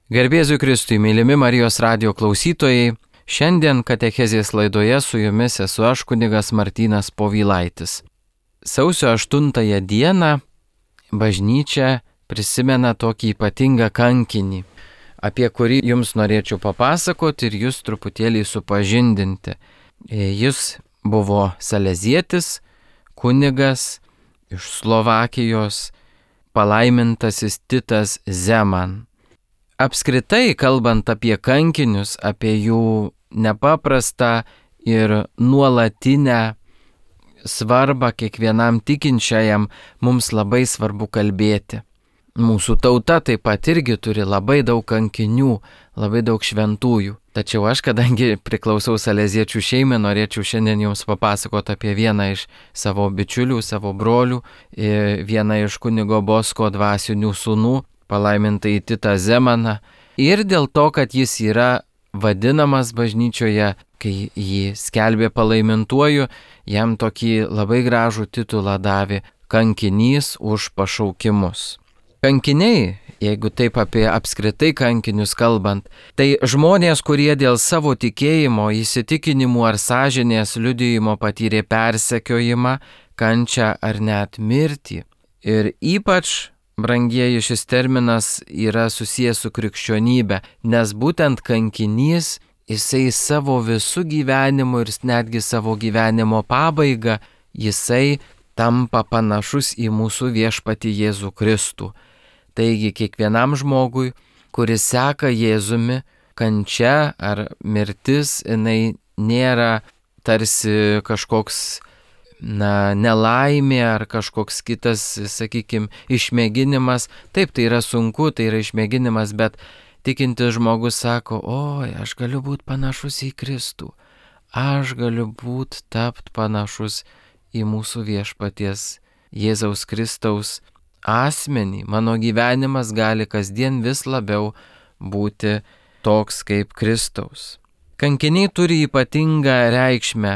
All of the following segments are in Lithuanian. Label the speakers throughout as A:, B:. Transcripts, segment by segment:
A: Garbė Jėzui Kristui, mylimi Marijos radijo klausytojai, šiandien katechezės laidoje su jumis esu aš, kunigas Martynas Povilaitis. Sausio 8 dieną bažnyčia prisimena tokį ypatingą kankinį, apie kurį jums norėčiau papasakoti ir jūs truputėlį supažindinti. Jis buvo salezietis, kunigas iš Slovakijos, palaimintasis Titas Zeman. Apskritai, kalbant apie kankinius, apie jų nepaprastą ir nuolatinę svarbą kiekvienam tikinčiajam, mums labai svarbu kalbėti. Mūsų tauta taip pat irgi turi labai daug kankinių, labai daug šventųjų. Tačiau aš, kadangi priklausau saleziečių šeimai, norėčiau šiandien jums papasakoti apie vieną iš savo bičiulių, savo brolių, vieną iš kunigo Bosko dvasinių sūnų, palaimintai Titą Zemaną. Ir dėl to, kad jis yra vadinamas bažnyčioje, kai jį skelbė palaimintuoju, jam tokį labai gražų titulą davė kankinys už pašaukimus. Kankiniai, jeigu taip apie apskritai kankinius kalbant, tai žmonės, kurie dėl savo tikėjimo, įsitikinimų ar sąžinės liudijimo patyrė persekiojimą, kančią ar net mirtį. Ir ypač, brangieji, šis terminas yra susijęs su krikščionybe, nes būtent kankinys, jisai savo visų gyvenimu ir netgi savo gyvenimo pabaiga, jisai tampa panašus į mūsų viešpatį Jėzų Kristų. Taigi kiekvienam žmogui, kuris seka Jėzumi, kančia ar mirtis, jinai nėra tarsi kažkoks nelaimė ar kažkoks kitas, sakykime, išmėginimas. Taip, tai yra sunku, tai yra išmėginimas, bet tikintis žmogus sako, oi, aš galiu būti panašus į Kristų, aš galiu būti tapt panašus į mūsų viešpaties Jėzaus Kristaus asmenį. Mano gyvenimas gali kasdien vis labiau būti toks kaip Kristaus. Kankiniai turi ypatingą reikšmę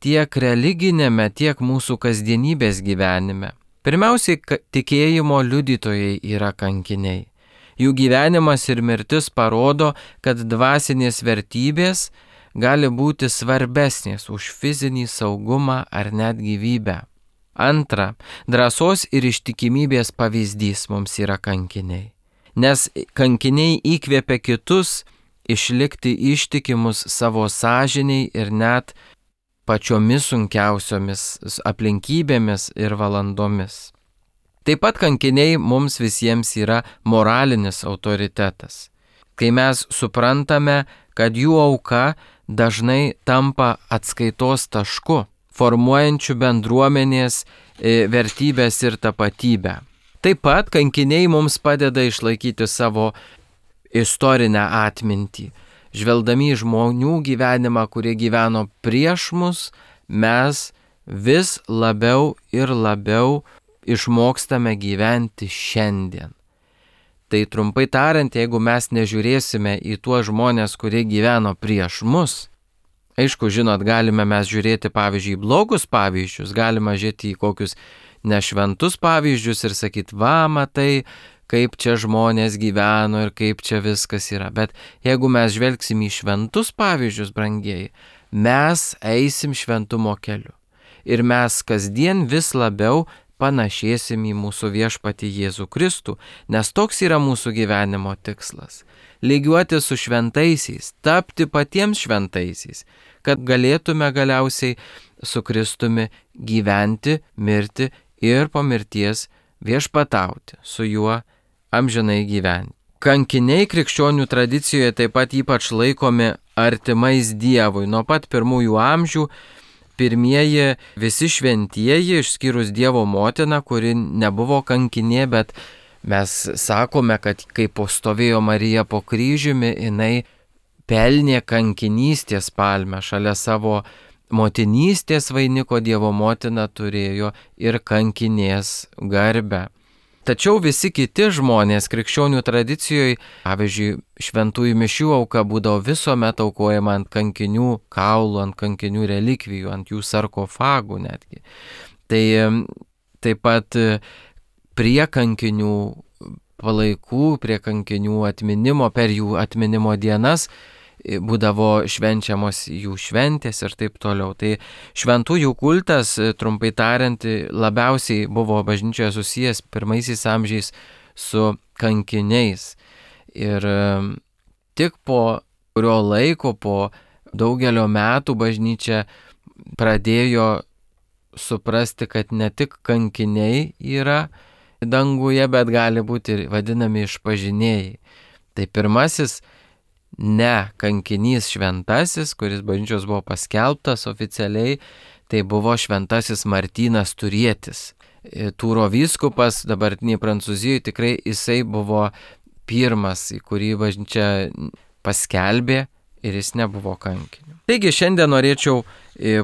A: tiek religinėme, tiek mūsų kasdienybės gyvenime. Pirmiausiai, tikėjimo liudytojai yra kankiniai. Jų gyvenimas ir mirtis parodo, kad dvasinės vertybės gali būti svarbesnės už fizinį saugumą ar net gyvybę. Antra, drąsos ir ištikimybės pavyzdys mums yra kankiniai. Nes kankiniai įkvėpia kitus išlikti ištikimus savo sąžiniai ir net pačiomis sunkiausiomis aplinkybėmis ir valandomis. Taip pat kankiniai mums visiems yra moralinis autoritetas. Kai mes suprantame, kad jų auka dažnai tampa atskaitos tašku, formuojančių bendruomenės vertybės ir tapatybę. Taip pat kankiniai mums padeda išlaikyti savo istorinę atmintį. Žvelgdami į žmonių gyvenimą, kurie gyveno prieš mus, mes vis labiau ir labiau išmokstame gyventi šiandien. Tai trumpai tariant, jeigu mes nežiūrėsime į tuos žmonės, kurie gyveno prieš mus, aišku, žinot, galime mes žiūrėti, pavyzdžiui, blogus pavyzdžius, galime žiūrėti į kokius nešventus pavyzdžius ir sakyti, va, matai, kaip čia žmonės gyveno ir kaip čia viskas yra. Bet jeigu mes žvelgsim į šventus pavyzdžius, brangieji, mes eisim šventumo keliu. Ir mes kasdien vis labiau panašėsim į mūsų viešpatį Jėzų Kristų, nes toks yra mūsų gyvenimo tikslas. Lygiuoti su šventaisiais, tapti patiems šventaisiais, kad galėtume galiausiai su Kristumi gyventi, mirti ir po mirties viešpatauti, su juo amžinai gyventi. Kankiniai krikščionių tradicijoje taip pat ypač laikomi artimais Dievui. Nuo pat pirmųjų amžių pirmieji visi šventieji, išskyrus Dievo motiną, kuri nebuvo kankinė, bet mes sakome, kad kai stovėjo Marija po kryžiumi, jinai pelnė kankinystės palmę. Šalia savo motinystės vainiko Dievo motina turėjo ir kankinės garbę. Tačiau visi kiti žmonės krikščionių tradicijoje, pavyzdžiui, šventųjų mišių auka būdavo visuomet aukojama ant kankinių kaulų, ant kankinių relikvijų, ant jų sarkofagų netgi. Tai taip pat prie kankinių palaikų, prie kankinių atminimo, per jų atminimo dienas būdavo švenčiamos jų šventės ir taip toliau. Tai šventųjų kultas, trumpai tariant, labiausiai buvo bažnyčioje susijęs pirmaisiais amžiais su kankiniais. Ir tik po kurio laiko, po daugelio metų bažnyčia pradėjo suprasti, kad ne tik kankiniai yra danguje, bet gali būti ir vadinami išpažinėjai. Tai pirmasis ne kankinys šventasis, kuris bažnyčios buvo paskelbtas oficialiai, tai buvo šventasis Martynas Turietis. Tūro vyskupas, dabartiniai Prancūzijoje, tikrai jisai buvo pirmas, į kurį bažnyčia paskelbė ir jis nebuvo kankiniu. Taigi šiandien norėčiau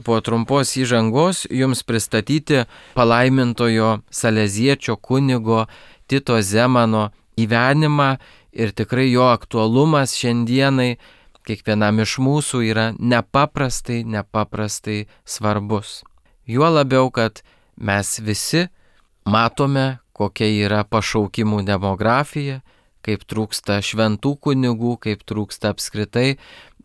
A: po trumpos įžangos jums pristatyti palaimintojo Saleziečio kunigo Tito Zemano gyvenimą ir tikrai jo aktualumas šiandienai kiekvienam iš mūsų yra nepaprastai svarbus. Juo labiau, kad mes visi matome, kokia yra pašaukimų demografija, kaip trūksta šventų kunigų, kaip trūksta apskritai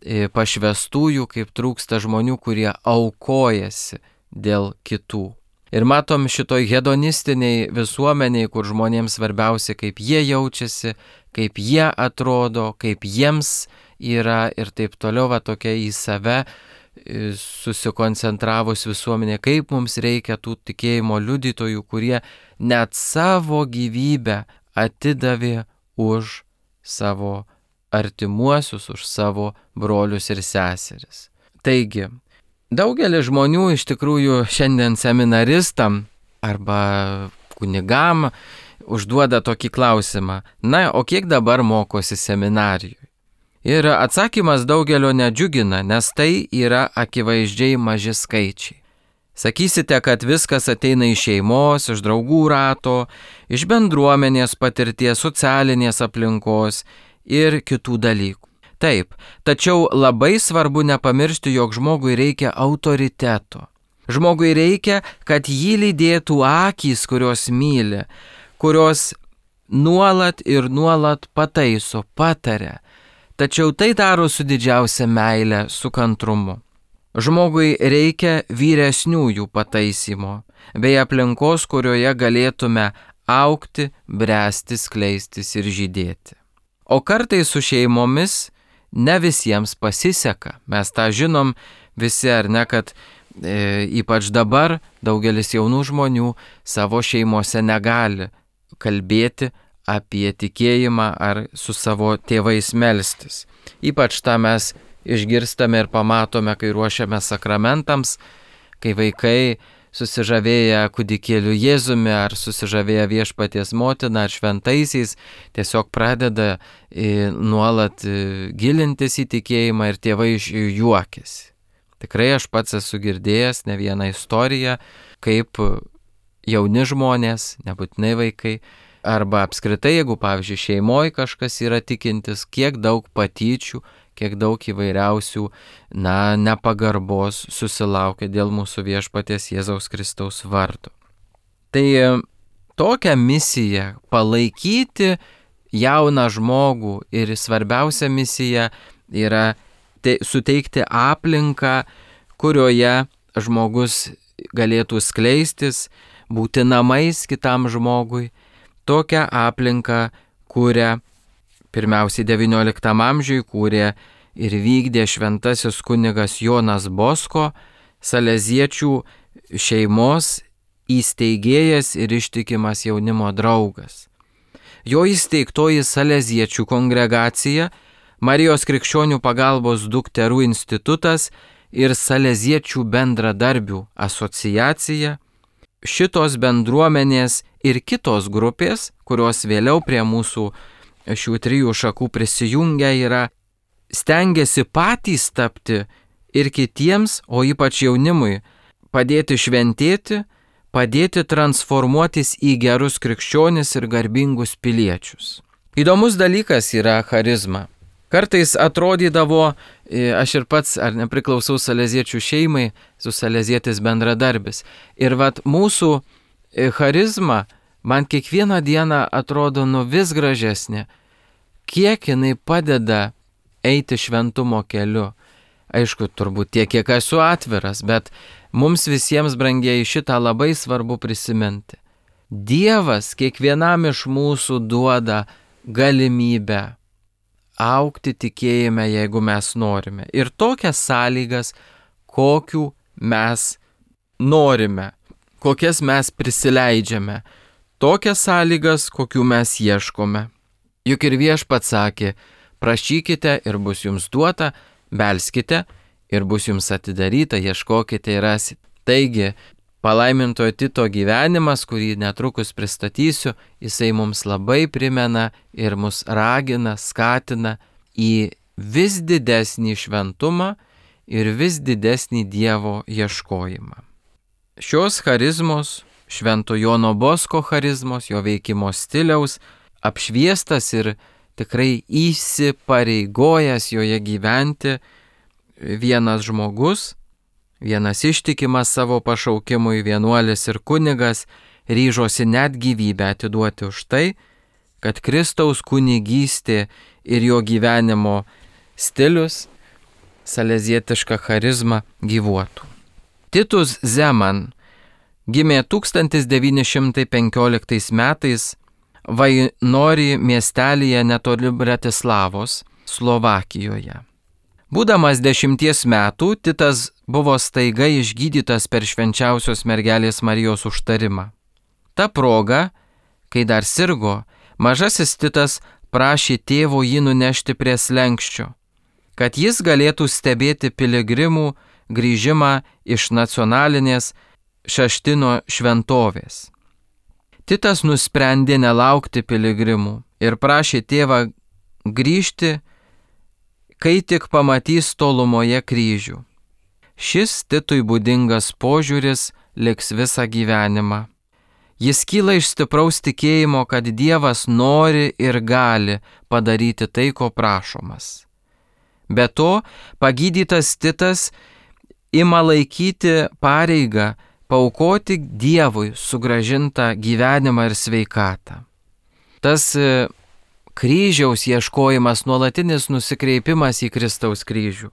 A: pašvestųjų, kaip trūksta žmonių, kurie aukojasi dėl kitų. Ir matom šitoj hedonistiniai visuomeniai, kur žmonėms svarbiausia, kaip jie jaučiasi, kaip jie atrodo, kaip jiems yra ir taip toliau, va tokia į save susikoncentravus visuomenė, kaip mums reikia tų tikėjimo liudytojų, kurie net savo gyvybę atidavė už savo artimuosius, už savo brolius ir seseris. Taigi, daugelis žmonių iš tikrųjų šiandien seminaristam arba kunigam užduoda tokį klausimą: na, o kiek dabar mokosi seminarijoje? Ir atsakymas daugelio nedžiugina, nes tai yra akivaizdžiai maži skaičiai. Sakysite, kad viskas ateina iš šeimos, iš draugų rato, iš bendruomenės patirties, socialinės aplinkos ir kitų dalykų. Taip, tačiau labai svarbu nepamiršti, jog žmogui reikia autoriteto. Žmogui reikia, kad jį lydėtų akys, kurios myli, kurios nuolat pataiso, pataria. Tačiau tai daro su didžiausia meile, su kantrumu. Žmogui reikia vyresniųjų pataisymo, bei aplinkos, kurioje galėtume augti, bręsti, skleistis ir žydėti. O kartais su šeimomis ne visiems pasiseka. Mes tą žinom visi, ar ne, kad ypač dabar daugelis jaunų žmonių savo šeimose negali kalbėti apie tikėjimą ar su savo tėvais melstis. Ypač tą mes išgirstame ir pamatome, kai ruošiame sakramentams, kai vaikai susižavėję kūdikėliu Jėzumi ar susižavėję Viešpaties motina ar šventaisiais tiesiog pradeda nuolat gilintis į tikėjimą ir tėvai iš jų juokiasi. Tikrai aš pats esu girdėjęs ne vieną istoriją, kaip jauni žmonės, nebūtinai vaikai, arba apskritai, jeigu, pavyzdžiui, šeimoje kažkas yra tikintis, kiek daug patyčių, kiek daug įvairiausių, nepagarbos susilaukia dėl mūsų Viešpaties Jėzaus Kristaus vardo. Tai tokią misiją palaikyti jauną žmogų ir svarbiausia misija yra suteikti aplinką, kurioje žmogus galėtų skleistis, būti namais kitam žmogui. Tokią aplinką kūrė pirmiausiai XIX amžiui, kūrė ir vykdė šventasis kunigas Jonas Bosko, Saleziečių šeimos įsteigėjas ir ištikimas jaunimo draugas. Jo įsteigtoji Saleziečių kongregacija, Marijos krikščionių pagalbos dukterų institutas ir Saleziečių bendradarbių asociacija, šitos bendruomenės ir kitos grupės, kurios vėliau prie mūsų šių trijų šakų prisijungia, yra stengiasi patys tapti ir kitiems, o ypač jaunimui, padėti šventėti, padėti transformuotis į gerus krikščionis ir garbingus piliečius. Įdomus dalykas yra charizma. Kartais atrodydavo, aš ir pats ar nepriklausau saleziečių šeimai, su salezietis bendradarbis. Ir vat mūsų charizma man kiekvieną dieną atrodo vis gražesnė, kiek jinai padeda eiti šventumo keliu. Aišku, turbūt tiek, kiek esu atviras, bet mums visiems, brangieji, šitą labai svarbu prisiminti. Dievas kiekvienam iš mūsų duoda galimybę augti tikėjime, jeigu mes norime. Ir tokias sąlygas, kokių mes norime, kokias mes prisileidžiame. Tokias sąlygas, kokių mes ieškome. Juk ir Viešpats sakė, prašykite ir bus jums duota, belskite ir bus jums atidaryta, ieškokite ir rasite. Taigi, palaimintojo Tito gyvenimas, kurį netrukus pristatysiu, jisai mums labai primena ir mus ragina, skatina į vis didesnį šventumą ir vis didesnį Dievo ieškojimą. Šios charizmos, Švento Jono Bosko charizmos, jo veikimo stiliaus, apšviestas ir tikrai įsipareigojęs joje gyventi vienas žmogus, vienas ištikimas savo pašaukimui vienuolis ir kunigas, ryžosi net gyvybę atiduoti už tai, kad Kristaus kunigystė ir jo gyvenimo stilius, salezietiška charizma gyvuotų. Titus Zeman gimė 1915 metais Vainori miestelyje netoli Bratislavos, Slovakijoje. Būdamas 10 metų, Titas buvo staiga išgydytas per švenčiausios mergelės Marijos užtarimą. Ta proga, kai dar sirgo, mažasis Titas prašė tėvo jį nunešti prie slenksčio, kad jis galėtų stebėti piligrimų grįžimą iš nacionalinės Šaštino šventovės. Titas nusprendė nelaukti piligrimų ir prašė tėvą grįžti, kai tik pamatys tolumoje kryžių. Šis Titui būdingas požiūris liks visą gyvenimą. Jis kyla iš stipraus tikėjimo, kad Dievas nori ir gali padaryti tai, ko prašomas. Be to, pagydytas Titas ima laikyti pareigą paaukoti Dievui sugrąžintą gyvenimą ir sveikatą. Tas kryžiaus ieškojimas, nuolatinis nusikreipimas į Kristaus kryžių.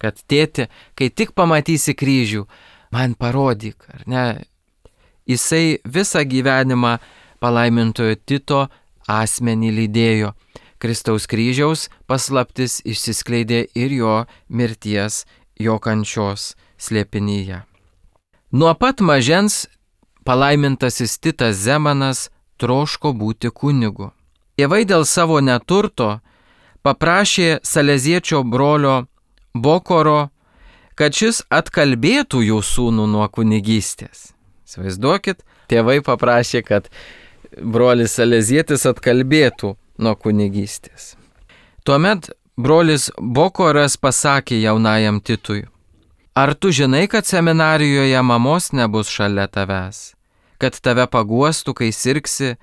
A: Kad tėti, kai tik pamatysi kryžių, man parodyk, ar ne? Jisai visą gyvenimą palaimintojo Tito asmenį lydėjo. Kristaus kryžiaus paslaptis išsiskleidė ir jo mirties, jo kančios slėpinyje. Nuo pat mažens palaimintasis Titas Zemanas troško būti kunigu. Tėvai dėl savo neturto paprašė saleziečio brolio Bokoro, kad šis atkalbėtų jų sūnų nuo kunigystės. Įsivaizduokit, tėvai paprašė, kad brolis salezietis atkalbėtų nuo kunigystės. Tuomet brolis Bokoras pasakė jaunajam Titui: ar tu žinai, kad seminarijoje mamos nebus šalia tavęs, kad tave paguostų, kai sirgsi,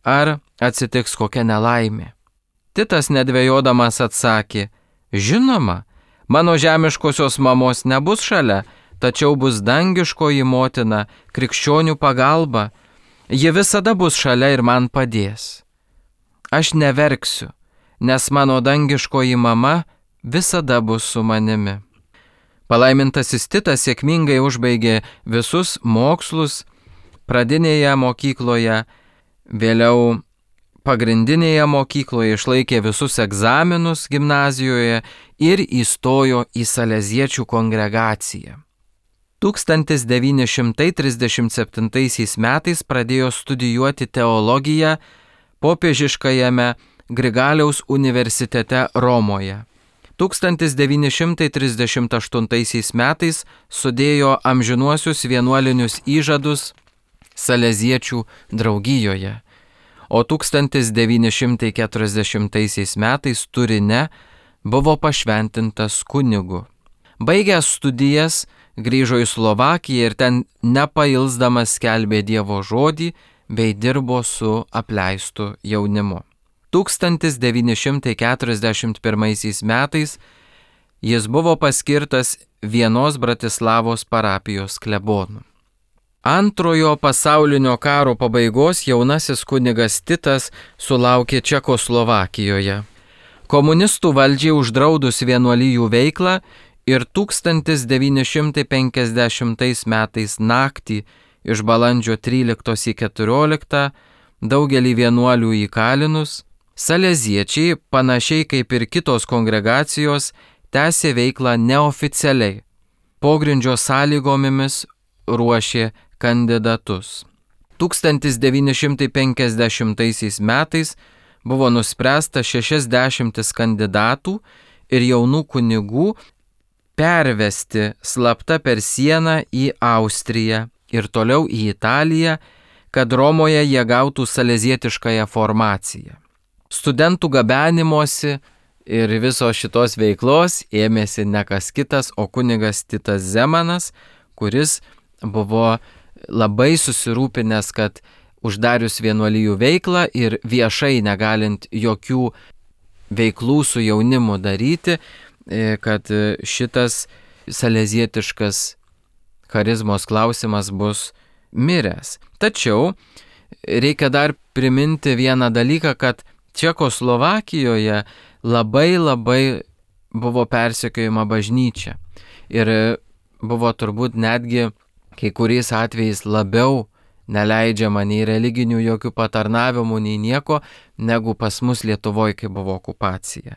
A: ar atsitiks kokia nelaimė? Titas nedvejodamas atsakė: žinoma, mano žemiškosios mamos nebus šalia, tačiau bus dangiškoji motina, krikščionių pagalba, ji visada bus šalia ir man padės. Aš neverksiu, nes mano dangiškoji mama visada bus su manimi. Palaimintasis Titas sėkmingai užbaigė visus mokslus pradinėje mokykloje, vėliau pagrindinėje mokykloje, išlaikė visus egzaminus gimnazijoje ir įstojo į saleziečių kongregaciją. 1937 metais pradėjo studijuoti teologiją popiežiškajame Grigaliaus universitete Romoje. 1938 metais sudėjo amžinuosius vienuolinius įžadus saleziečių draugijoje, o 1940 metais Turine buvo pašventintas kunigu. Baigęs studijas, grįžo į Slovakiją ir ten nepailsdamas skelbė Dievo žodį bei dirbo su apleistu jaunimu. 1941 metais jis buvo paskirtas vienos Bratislavos parapijos klebonu. Antrojo pasaulinio karo pabaigos jaunasis kunigas Titas sulaukė Čekoslovakijoje. Komunistų valdžiai uždraudus vienuolijų veiklą ir 1950 metais naktį iš balandžio 13 į 14 daugelį vienuolių įkalinus, saleziečiai, panašiai kaip ir kitos kongregacijos, tęsė veiklą neoficialiai. Pogrindžio sąlygomis ruošė kandidatus. 1950 metais buvo nuspręsta 60 kandidatų ir jaunų kunigų pervesti slapta per sieną į Austriją ir toliau į Italiją, kad Romoje jie gautų salezietiškąją formaciją. Studentų gabenimosi ir visos šitos veiklos ėmėsi ne kas kitas, o kunigas Titas Zemanas, kuris buvo labai susirūpinęs, kad uždarius vienuolijų veiklą ir viešai negalint jokių veiklų su jaunimu daryti, kad šitas salezietiškas charizmos klausimas bus miręs. Tačiau reikia dar priminti vieną dalyką, kad Čekoslovakijoje labai buvo persekiojama bažnyčia. Ir buvo turbūt netgi kai kuriais atvejais labiau neleidžiama nei religinių jokių patarnavimų, nei nieko, negu pas mus Lietuvoje, kai buvo okupacija.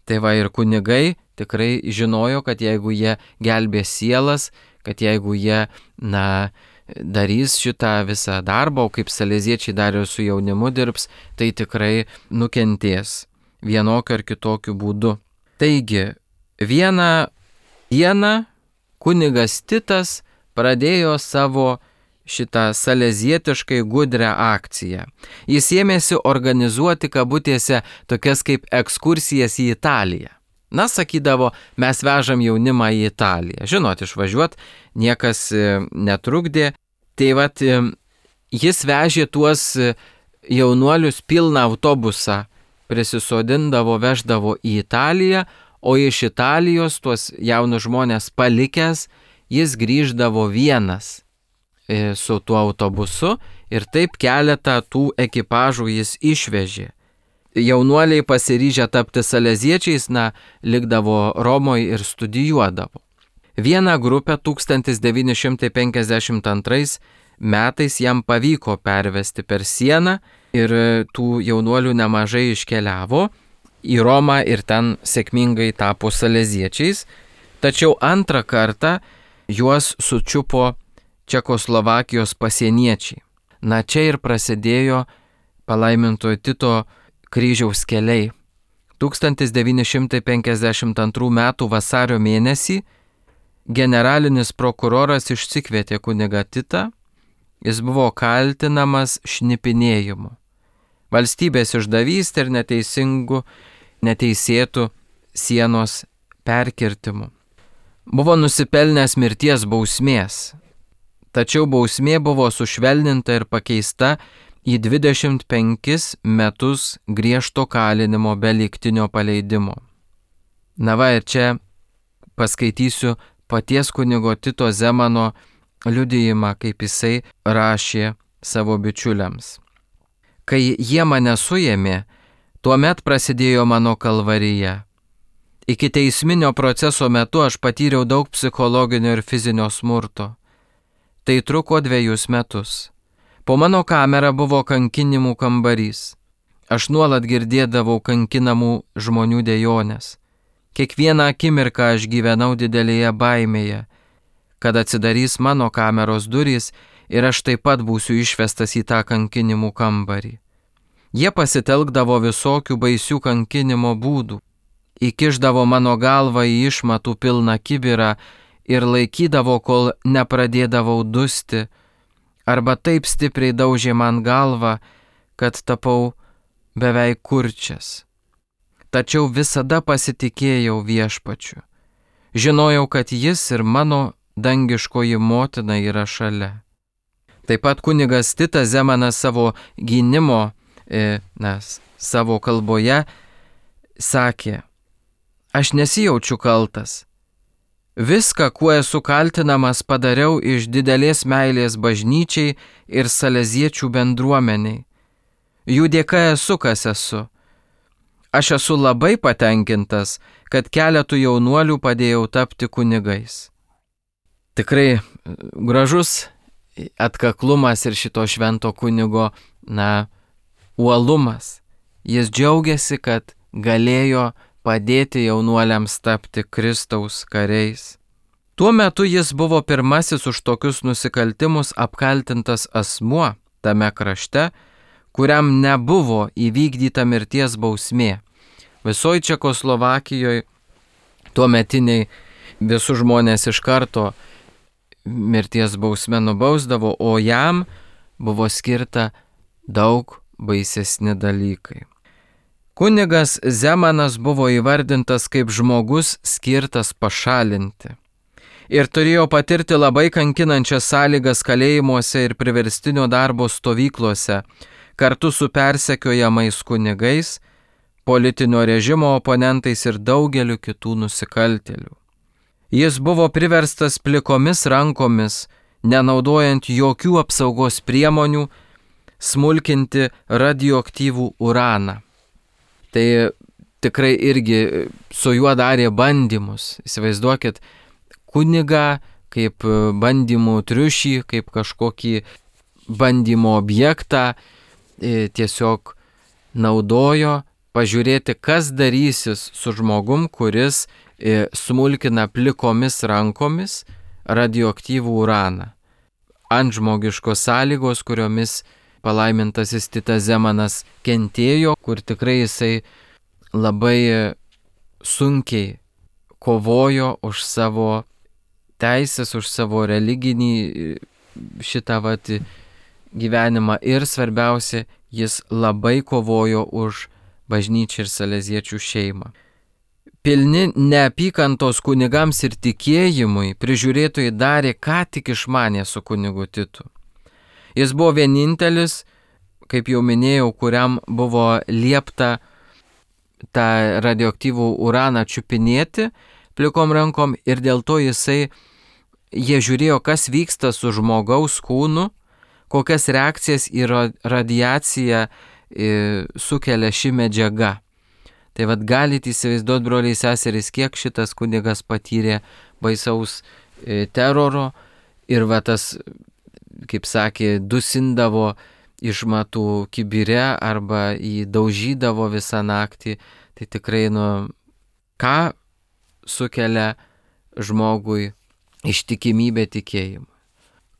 A: Tai va ir kunigai tikrai žinojo, kad jeigu jie gelbės sielas, kad jeigu jie, darys šitą visą darbą, o kaip saleziečiai dar ir su jaunimu dirbs, tai tikrai nukentės vienokiu ar kitokiu būdu. Taigi, vieną dieną kunigas Titas pradėjo savo šitą salezietiškai gudrią akciją. Jis ėmėsi organizuoti kabutėse tokias kaip ekskursijas į Italiją. Sakydavo, mes vežam jaunimą į Italiją. Žinot, išvažiuot niekas netrukdė. Tai vat, jis vežė tuos jaunuolius pilną autobusą, prisisodindavo, veždavo į Italiją, o iš Italijos tuos jaunus žmonės palikęs, jis grįždavo vienas su tuo autobusu ir taip keletą tų ekipažų jis išvežė. Jaunuoliai pasiryžę tapti saleziečiais, likdavo Romoje ir studijuodavo. Vieną grupę 1952 metais jam pavyko pervesti per sieną ir tų jaunuolių nemažai iškeliavo į Romą ir ten sėkmingai tapo saleziečiais. Tačiau antrą kartą juos sučiupo Čekoslovakijos pasieniečiai. Čia ir prasidėjo palaimintojo Tito kryžiaus keliai. 1952 m. vasario mėnesį generalinis prokuroras išsikvietė kunigą Titą. Jis buvo kaltinamas šnipinėjimu, valstybės išdavystė ir neteisėtų sienos perkirtimu. Buvo nusipelnęs mirties bausmės. Tačiau bausmė buvo sušvelninta ir pakeista į 25 metus griežto kalinimo be lygtinio paleidimo. Ir čia paskaitysiu paties kunigo Tito Zemano liudijimą, kaip jisai rašė savo bičiuliams. Kai jie mane suėmė, tuomet prasidėjo mano kalvarija. Iki teisminio proceso metu aš patyriau daug psichologinio ir fizinio smurto. Tai truko 2 metus. Po mano kamera buvo kankinimų kambarys. Aš nuolat girdėdavau kankinamų žmonių dejonės. Kiekvieną akimirką aš gyvenau didelėje baimėje, kad atsidarys mano kameros durys ir aš taip pat būsiu išvestas į tą kankinimų kambarį. Jie pasitelkdavo visokių baisių kankinimo būdų. Įkišdavo mano galvą į išmatų pilną kibirą ir laikydavo, kol nepradėdavau dusti, arba taip stipriai daužė man galvą, kad tapau beveik kurčias. Tačiau visada pasitikėjau Viešpačiu. Žinojau, kad jis ir mano dangiškoji motina yra šalia. Taip pat kunigas Titas Zemanas savo gynimo, savo kalboje sakė, aš nesijaučiu kaltas. Viską, kuo esu kaltinamas, padariau iš didelės meilės bažnyčiai ir saleziečių bendruomeniai. Jų dėka esu, kas esu. Aš esu labai patenkintas, kad keletų jaunuolių padėjau tapti kunigais. Tikrai gražus atkaklumas ir šito švento kunigo, uolumas. Jis džiaugiasi, kad galėjo padėti jaunuoliams tapti Kristaus kariais. Tuo metu jis buvo pirmasis už tokius nusikaltimus apkaltintas asmuo tame krašte, kuriam nebuvo įvykdyta mirties bausmė. Visoje Čekoslovakijoje tuometiniai visus žmonės iš karto mirties bausmę nubausdavo, o jam buvo skirta daug baisesni dalykai. Kunigas Zemanas buvo įvardintas kaip žmogus skirtas pašalinti ir turėjo patirti labai kankinančias sąlygas kalėjimuose ir priverstinio darbo stovyklose kartu su persekiojamais kunigais, politinio režimo oponentais ir daugeliu kitų nusikaltėlių. Jis buvo priverstas plikomis rankomis, nenaudojant jokių apsaugos priemonių, smulkinti radioaktyvų uraną. Tai tikrai irgi su juo darė bandymus. Įsivaizduokit, kunigą kaip bandymų triušį, kaip kažkokį bandymo objektą tiesiog naudojo pažiūrėti, kas darysis su žmogum, kuris smulkina plikomis rankomis radioaktyvų uraną. Antžmogiškos sąlygos, kuriomis palaimintasis Titas Zemanas kentėjo, kur tikrai jisai labai sunkiai kovojo už savo teisės, už savo religinį šitą gyvenimą ir svarbiausia, jis labai kovojo už bažnyčią ir saleziečių šeimą. Pilni neapykantos kunigams ir tikėjimui, prižiūrėtojai darė, ką tik išmanė su kunigu Titu. Jis buvo vienintelis, kaip jau minėjau, kuriam buvo liepta tą radioaktyvų uraną čiupinėti plikom rankom ir dėl to jie žiūrėjo, kas vyksta su žmogaus kūnu, kokias reakcijas į radiaciją sukelia ši medžiaga. Tai galite įsivaizduoti, broliai seserys, kiek šitas kunigas patyrė baisaus teroro ir tas, kaip sakė, dusindavo išmatų kibire arba įdaužydavo visą naktį. Tai tikrai, ką sukelia žmogui ištikimybė tikėjimui?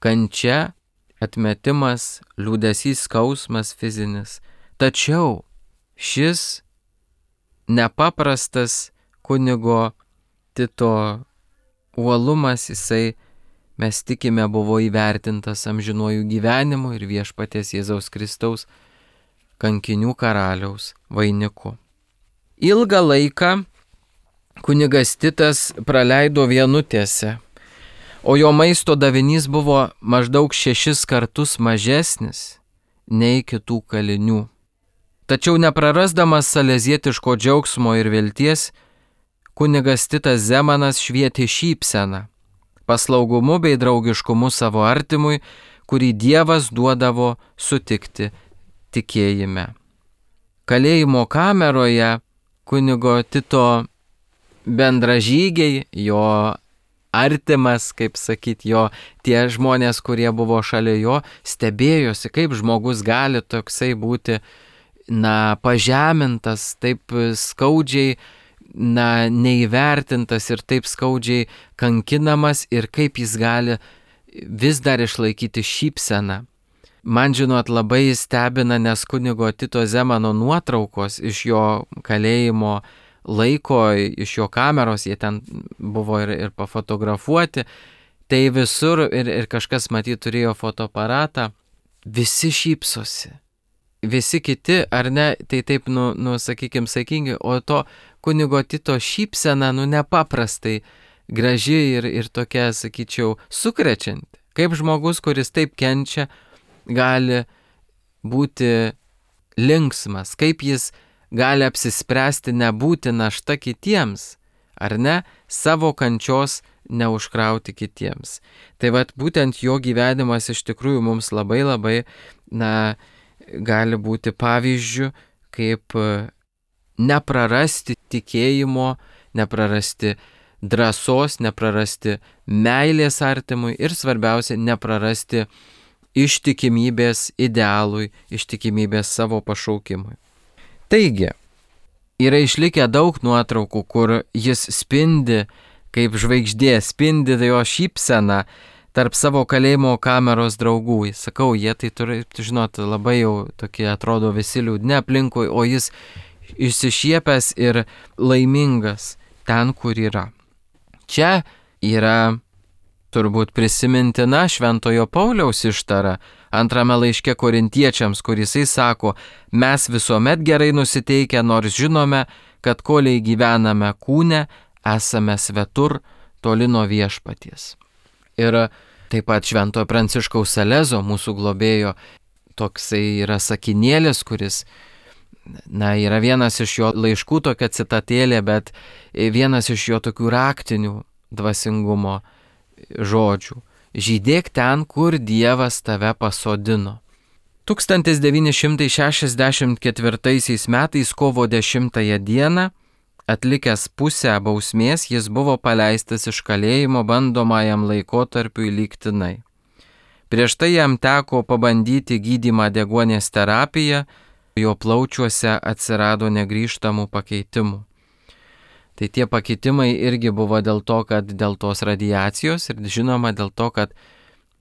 A: Kančia, atmetimas, liūdesys, skausmas fizinis. Tačiau šis nepaprastas kunigo Tito uolumas, mes tikime, buvo įvertintas amžinuoju gyvenimu ir viešpaties Jėzaus Kristaus kankinių karaliaus vainiku. Ilgą laiką kunigas Titas praleido vienutėse, o jo maisto davinys buvo maždaug 6 kartus mažesnis nei kitų kalinių. Tačiau neprarasdamas salezietiško džiaugsmo ir vilties, kunigas Titas Zemanas švietė šypseną, paslaugumu bei draugiškumu savo artimui, kurį Dievas duodavo sutikti tikėjime. Kalėjimo kameroje kunigo Tito bendražygiai, jo artimas, kaip sakyt, jo tie žmonės, kurie buvo šalia jo, stebėjosi, kaip žmogus gali toksai būti pažemintas, taip skaudžiai neįvertintas ir taip skaudžiai kankinamas ir kaip jis gali vis dar išlaikyti šypseną. Man, žinot, labai stebina, nes kunigo Tito Zemano nuotraukos iš jo kalėjimo laiko, iš jo kameros, jie ten buvo ir pafotografuoti, tai visur ir kažkas matyt turėjo fotoaparatą, visi šypsosi. Visi kiti, ar ne, tai taip, sakykime, saikingai, o to kunigo Tito šypsena, nepaprastai graži ir tokia, sakyčiau, sukrečianti. Kaip žmogus, kuris taip kenčia, gali būti linksmas, kaip jis gali apsispręsti nebūti našta kitiems, ar ne, savo kančios neužkrauti kitiems. Tai vat būtent jo gyvenimas iš tikrųjų mums labai, gali būti pavyzdžių, kaip neprarasti tikėjimo, neprarasti drąsos, neprarasti meilės artimui ir svarbiausia, neprarasti ištikimybės idealui, ištikimybės savo pašaukimui. Taigi, yra išlikę daug nuotraukų, kur jis spindi kaip žvaigždė, spindi jo šypseną tarp savo kalėjimo kameros draugų. Sakau, jie tai turi, žinot, labai jau tokie atrodo visi liūdni aplinkui, o jis išsišiepęs ir laimingas ten, kur yra. Čia yra turbūt prisimintina Šventojo Pauliaus ištara antrame laiške Korintiečiams, kur jisai sako, mes visuomet gerai nusiteikę, nors žinome, kad koliai gyvename kūne, esame svetur, toli nuo viešpaties. Ir taip pat Šventojo Pranciškaus Salezo, mūsų globėjo, toksai yra sakinėlis, kuris, yra vienas iš jo laiškų, tokia citatėlė, bet vienas iš jo tokių raktinių dvasingumo žodžių. Žydėk ten, kur Dievas tave pasodino. 1964 metais kovo 10 dieną, atlikęs pusę bausmės, jis buvo paleistas iš kalėjimo bandomajam laikotarpiui lygtinai. Prieš tai jam teko pabandyti gydymą deguonies terapiją, jo plaučiuose atsirado negrįžtamų pakeitimų. Tai tie pakeitimai irgi buvo dėl to, kad dėl tos radiacijos ir žinoma dėl to, kad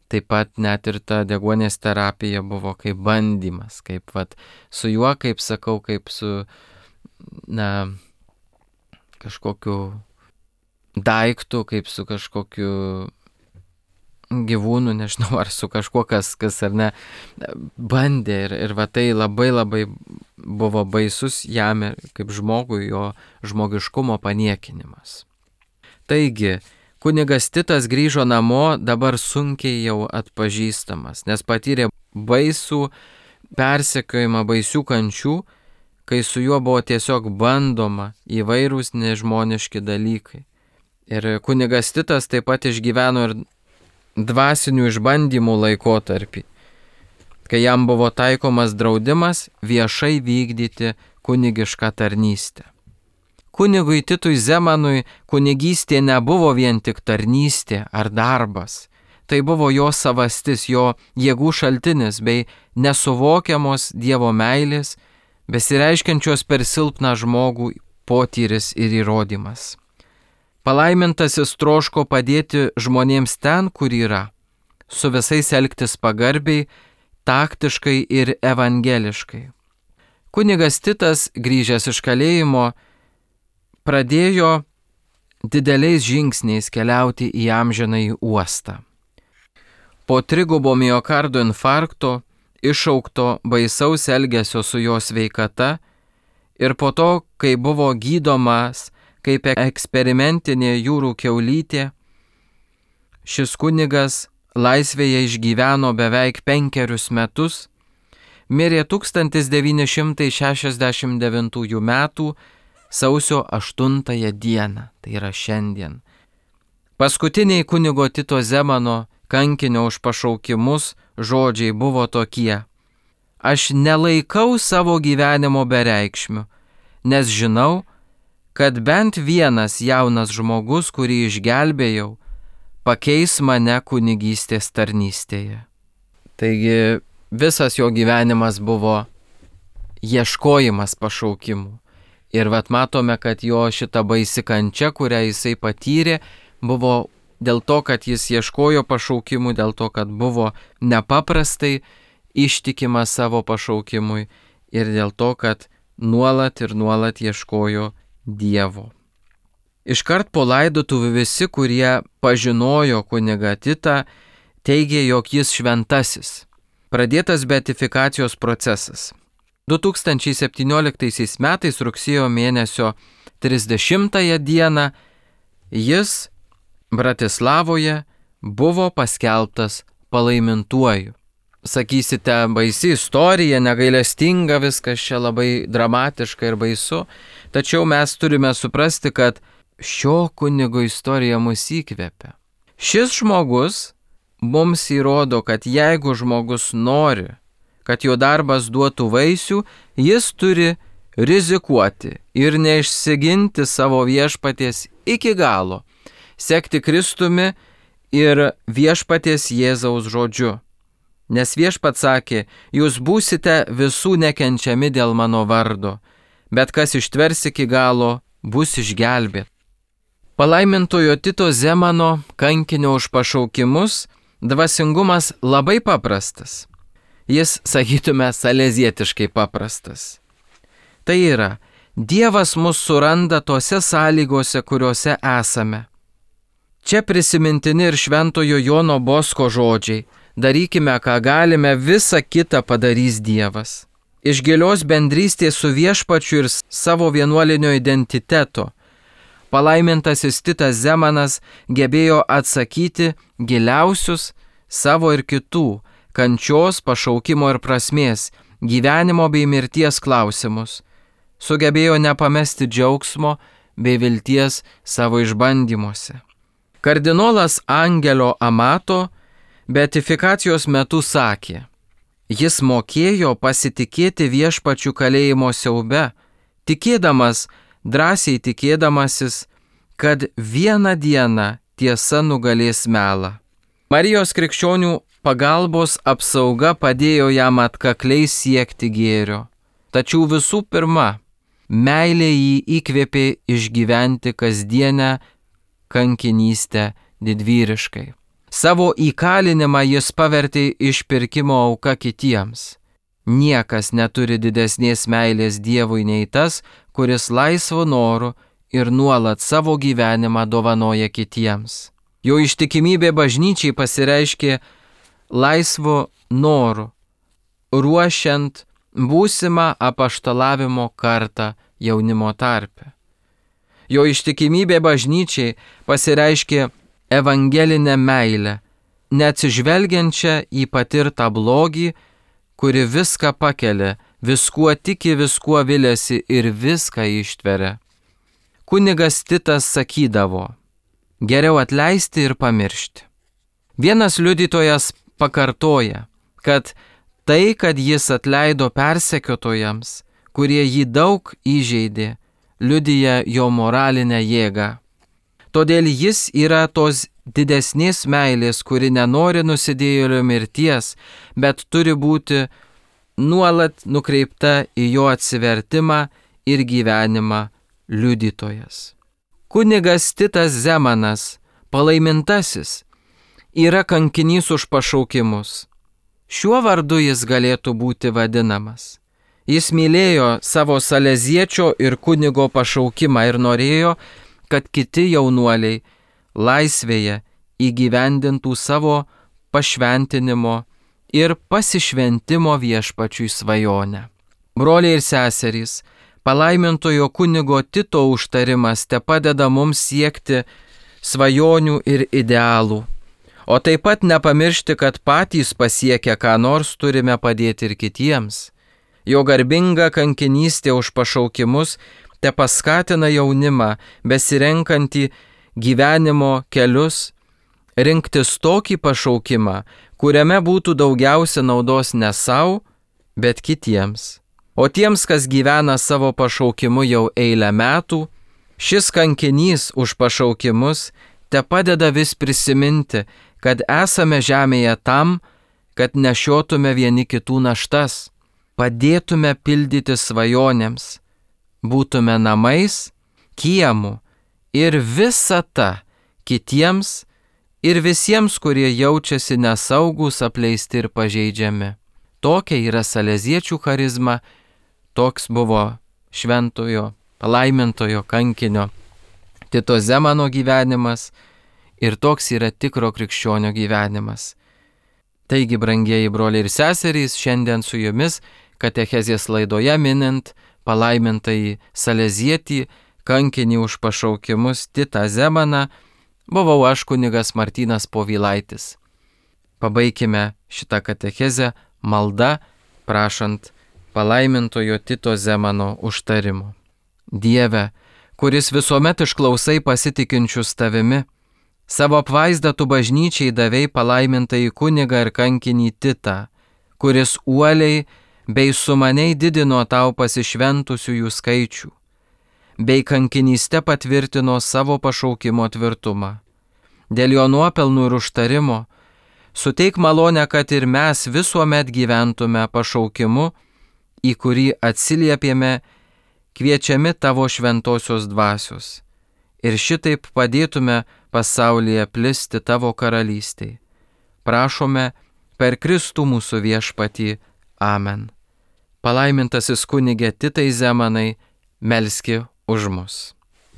A: taip pat net ir ta deguonies terapija buvo kaip bandymas, kaip su juo, kaip sakau, kaip su, kažkokiu daiktu, kaip su kažkokiu gyvūnu, nežinau, ar su kažkuo, kas ar ne, bandė ir tai labai buvo baisus jam kaip žmogui, jo žmogiškumo paniekinimas. Taigi, kunigas Titas grįžo namo dabar sunkiai jau atpažįstamas, nes patyrė baisų persekiojimą, baisių kančių, kai su juo buvo tiesiog bandoma įvairūs nežmoniški dalykai. Ir kunigas Titas taip pat išgyveno ir dvasinių išbandymų laikotarpį, kai jam buvo taikomas draudimas viešai vykdyti kunigišką tarnystę. Kunigui Titui Zemanui kunigystė nebuvo vien tik tarnystė ar darbas, tai buvo jo savastis, jo jėgų šaltinis bei nesuvokiamos Dievo meilės, besireiškiančios per silpną žmogų potyris ir įrodymas. Palaimintasis troško padėti žmonėms ten, kur yra, su visais elgtis pagarbiai, taktiškai ir evangeliškai. Kunigas Titas, grįžęs iš kalėjimo, pradėjo dideliais žingsniais keliauti į amžinąjį uostą. Po trigubo miokardo infarkto, iššaukto baisaus elgesio su jo sveikata ir po to, kai buvo gydomas kaip eksperimentinė jūrų kiaulytė, šis kunigas laisvėje išgyveno beveik 5 metus, mirė 1969 metų sausio 8 dieną, tai yra šiandien. Paskutiniai kunigo Tito Zemano kankinio už pašaukimus žodžiai buvo tokie: aš nelaikau savo gyvenimo bereikšmiu, nes žinau, kad bent vienas jaunas žmogus, kurį išgelbėjau, pakeis mane kunigystės tarnystėje. Taigi visas jo gyvenimas buvo ieškojimas pašaukimų. Ir matome, kad jo šita baisi kančia, kurią jisai patyrė, buvo dėl to, kad jis ieškojo pašaukimų, dėl to, kad buvo nepaprastai ištikimas savo pašaukimui ir dėl to, kad nuolat ieškojo Dievo. Iškart po laidotuvių visi, kurie pažinojo kunigą Titą, teigė, jog jis šventasis. Pradėtas beatifikacijos procesas. 2017 metais rugsėjo mėnesio 30 dieną jis Bratislavoje buvo paskelbtas palaimintuoju. Sakysite, baisi istorija, negailestinga, viskas čia labai dramatiška ir baisu, tačiau mes turime suprasti, kad šio kunigo istorija mus įkvepia. Šis žmogus mums įrodo, kad jeigu žmogus nori, kad jo darbas duotų vaisių, jis turi rizikuoti ir neišsiginti savo viešpaties iki galo, sekti Kristumi ir viešpaties Jėzaus žodžiu. Nes viešpats sakė, jūs būsite visų nekenčiami dėl mano vardo, bet kas ištvers iki galo, bus išgelbėt. Palaimintojo Tito Zemano, kankinio už pašaukimus, dvasingumas labai paprastas. Jis, sakytume, salezietiškai paprastas. Tai yra, Dievas mus suranda tose sąlygose, kuriuose esame. Čia prisimintini ir šventojo Jono Bosko žodžiai. Darykime, ką galime, visa kita padarys Dievas. Iš gilios bendrystės su viešpačiu ir savo vienuolinio identiteto palaimintasis Titas Zemanas gebėjo atsakyti giliausius savo ir kitų kančios, pašaukimo ir prasmės, gyvenimo bei mirties klausimus. Sugebėjo nepamesti džiaugsmo bei vilties savo išbandymuose. Kardinolas Angelio Amato beatifikacijos metu sakė, jis mokėjo pasitikėti viešpačiu kalėjimo siaube, tikėdamas, drąsiai tikėdamasis, kad vieną dieną tiesa nugalės melą. Marijos krikščionių pagalbos apsauga padėjo jam atkakliai siekti gėrio. Tačiau visų pirma, meilė jį įkvėpė išgyventi kasdienę kankinystę didvyriškai. Savo įkalinimą jis pavertė išpirkimo auka kitiems. Niekas neturi didesnės meilės Dievui nei tas, kuris laisvu noru ir nuolat savo gyvenimą dovanoja kitiems. Jo ištikimybė bažnyčiai pasireiškė laisvu noru, ruošiant būsimą apaštalavimo kartą jaunimo tarpe. Jo ištikimybė bažnyčiai pasireiškė evangelinę meilę, neatsižvelgiančią į patirtą blogį, kuri viską pakelia, viskuo tiki, viskuo viliasi ir viską ištveria. Kunigas Titas sakydavo, geriau atleisti ir pamiršti. Vienas liudytojas pakartoja, kad tai, kad jis atleido persekiotojams, kurie jį daug įžeidė, liudija jo moralinę jėgą. Todėl jis yra tos didesnės meilės, kuri nenori nusidėjėlio mirties, bet turi būti nuolat nukreipta į jo atsivertimą ir gyvenimą liudytojas. Kunigas Titas Zemanas, palaimintasis, yra kankinys už pašaukimus. Šiuo vardu jis galėtų būti vadinamas. Jis mylėjo savo saleziečio ir kunigo pašaukimą ir norėjo, kad kiti jaunuoliai laisvėje įgyvendintų savo pašventinimo ir pasišventimo viešpačiui svajonę. Broliai ir seserys, palaimintojo kunigo Tito užtarimas tepadeda mums siekti svajonių ir idealų, o taip pat nepamiršti, kad patys pasiekę ką nors turime padėti ir kitiems. Jo garbinga kankinystė už pašaukimus te paskatina jaunimą, besirenkantį gyvenimo kelius, rinktis tokį pašaukimą, kuriame būtų daugiausia naudos ne savo, bet kitiems. O tiems, kas gyvena savo pašaukimu jau eilę metų, šis kankinys už pašaukimus te padeda vis prisiminti, kad esame žemėje tam, kad nešiotume vieni kitų naštas, padėtume pildyti svajonėms, būtume namais, kiemu ir visata kitiems ir visiems, kurie jaučiasi nesaugus, apleisti ir pažeidžiami. Tokia yra saleziečių charizma, toks buvo šventojo, palaimintojo kankinio Tito Zemano gyvenimas ir toks yra tikro krikščionio gyvenimas. Taigi, brangieji broliai ir seserys, šiandien su jumis katechezės laidoje minint palaimintąjį salezietį, kankinį už pašaukimus Titą Zemaną, buvau aš kunigas Martynas Povilaitis. Pabaikime šitą katechezę malda, prašant palaimintojo Tito Zemano užtarimo. Dieve, kuris visuomet išklausai pasitikinčius tavimi, savo apvaizdą tu bažnyčiai davei palaimintąjį kunigą ir kankinį Titą, kuris uoliai bei sumaniai didino tau pasišventusiųjų skaičių, bei kankinyste patvirtino savo pašaukimo tvirtumą. Dėl jo nuopelnų ir užtarimo suteik malonę, kad ir mes visuomet gyventume pašaukimu, į kurį atsiliepėme, kviečiami tavo šventosios dvasios, ir šitaip padėtume pasaulyje plisti tavo karalystei. Prašome per Kristų mūsų viešpatį. Amen. Palaimintasis kunige Titai Zemanai, melski už mus.